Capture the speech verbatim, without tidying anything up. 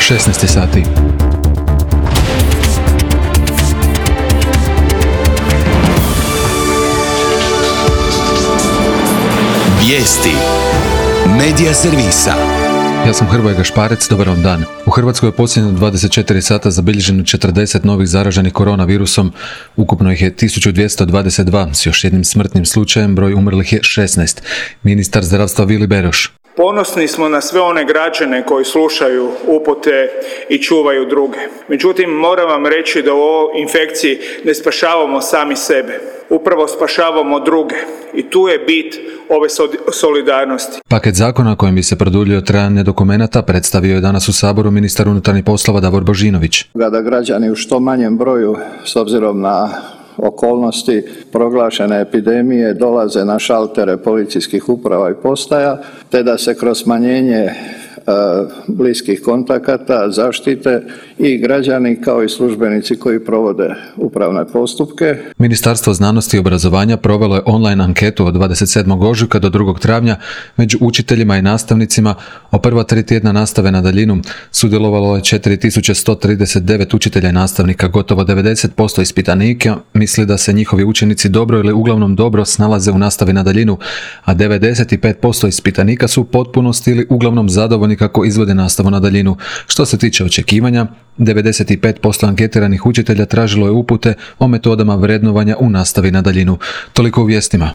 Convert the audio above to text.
šesnaest sati. Vijesti Medija servisa. Ja sam Hrvoje Gašparec, dobar vam dan. U Hrvatskoj je posljednjih dvadeset četiri sata zabilježeno četrdeset novih zaraženih koronavirusom, ukupno ih je tisuću dvjesto dvadeset dva, s još jednim smrtnim slučajem, broj umrlih je šesnaest. Ministar zdravstva Vili Beroš. Ponosni smo na sve one građane koji slušaju upute i čuvaju druge. Međutim, moram vam reći da u ovoj infekciji ne spašavamo sami sebe. Upravo spašavamo druge. I tu je bit ove solidarnosti. Paket zakona kojim bi se produljio trajanje dokumenata predstavio je danas u Saboru ministar unutarnjih poslova Davor Božinović. Da građani u što manjem broju, s obzirom na okolnosti proglašene epidemije, dolaze na šaltere policijskih uprava i postaja, te da se kroz smanjenje bliskih kontakata zaštite i građani kao i službenici koji provode upravne postupke. Ministarstvo znanosti i obrazovanja provelo je online anketu od dvadeset sedmog ožujka do drugog travnja među učiteljima i nastavnicima o prva tri tjedna nastave na daljinu. Sudjelovalo je četiri tisuće sto trideset devet učitelja i nastavnika, gotovo devedeset posto ispitanika misli da se njihovi učenici dobro ili uglavnom dobro snalaze u nastavi na daljinu, a devedeset pet posto ispitanika su u potpunosti ili uglavnom zadovoljni kako izvode nastavu na daljinu. Što se tiče očekivanja, devedeset pet posto anketiranih učitelja tražilo je upute o metodama vrednovanja u nastavi na daljinu. Toliko u vijestima.